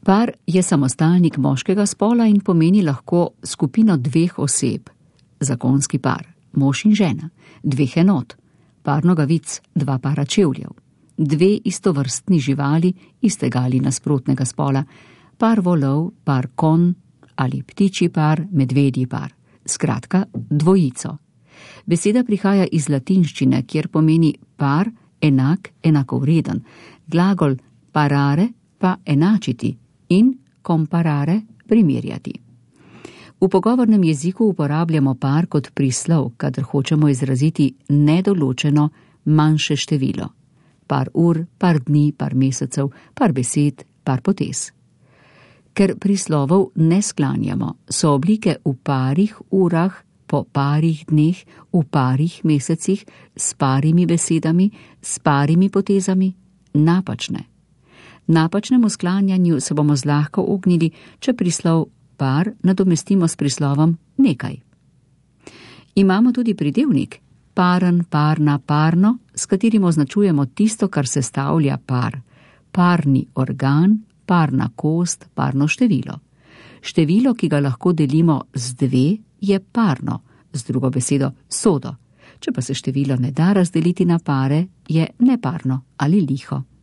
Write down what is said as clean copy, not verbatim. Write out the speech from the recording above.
Par je samostalnik moškega spola in pomeni lahko skupino dveh oseb. Zakonski par, mož in žena, dveh enot, par nogavic, dva para čevljev, dve istovrstni živali istega ali nasprotnega spola, par volov, par konj ali ptičji par, medvedji par. Skratka, dvojico. Beseda prihaja iz latinščine, kjer pomeni par, enak, enakovreden, glagol parare pa enačiti in comparare primerjati. V pogovornem jeziku uporabljamo par kot prislov, kadar hočemo izraziti nedoločeno manjše število. Par ur, par dni, par mesecev, par besed, par potez. Ker prislovov ne sklanjamo, so oblike v parih urah, po parih dneh, v parih mesecih, s parimi besedami, s parimi potezami napačne. Napačnemu sklanjanju se bomo zlahka ognili, če prislov par nadomestimo s prislovom nekaj. Imamo tudi pridevnik paren, parna, parno, s katerim označujemo tisto, kar sestavlja par. Parni organ, parna kost, parno število. Število, ki ga lahko delimo z dve, je parno, z drugo besedo sodo. Če pa se število ne da razdeliti na pare, je neparno ali liho.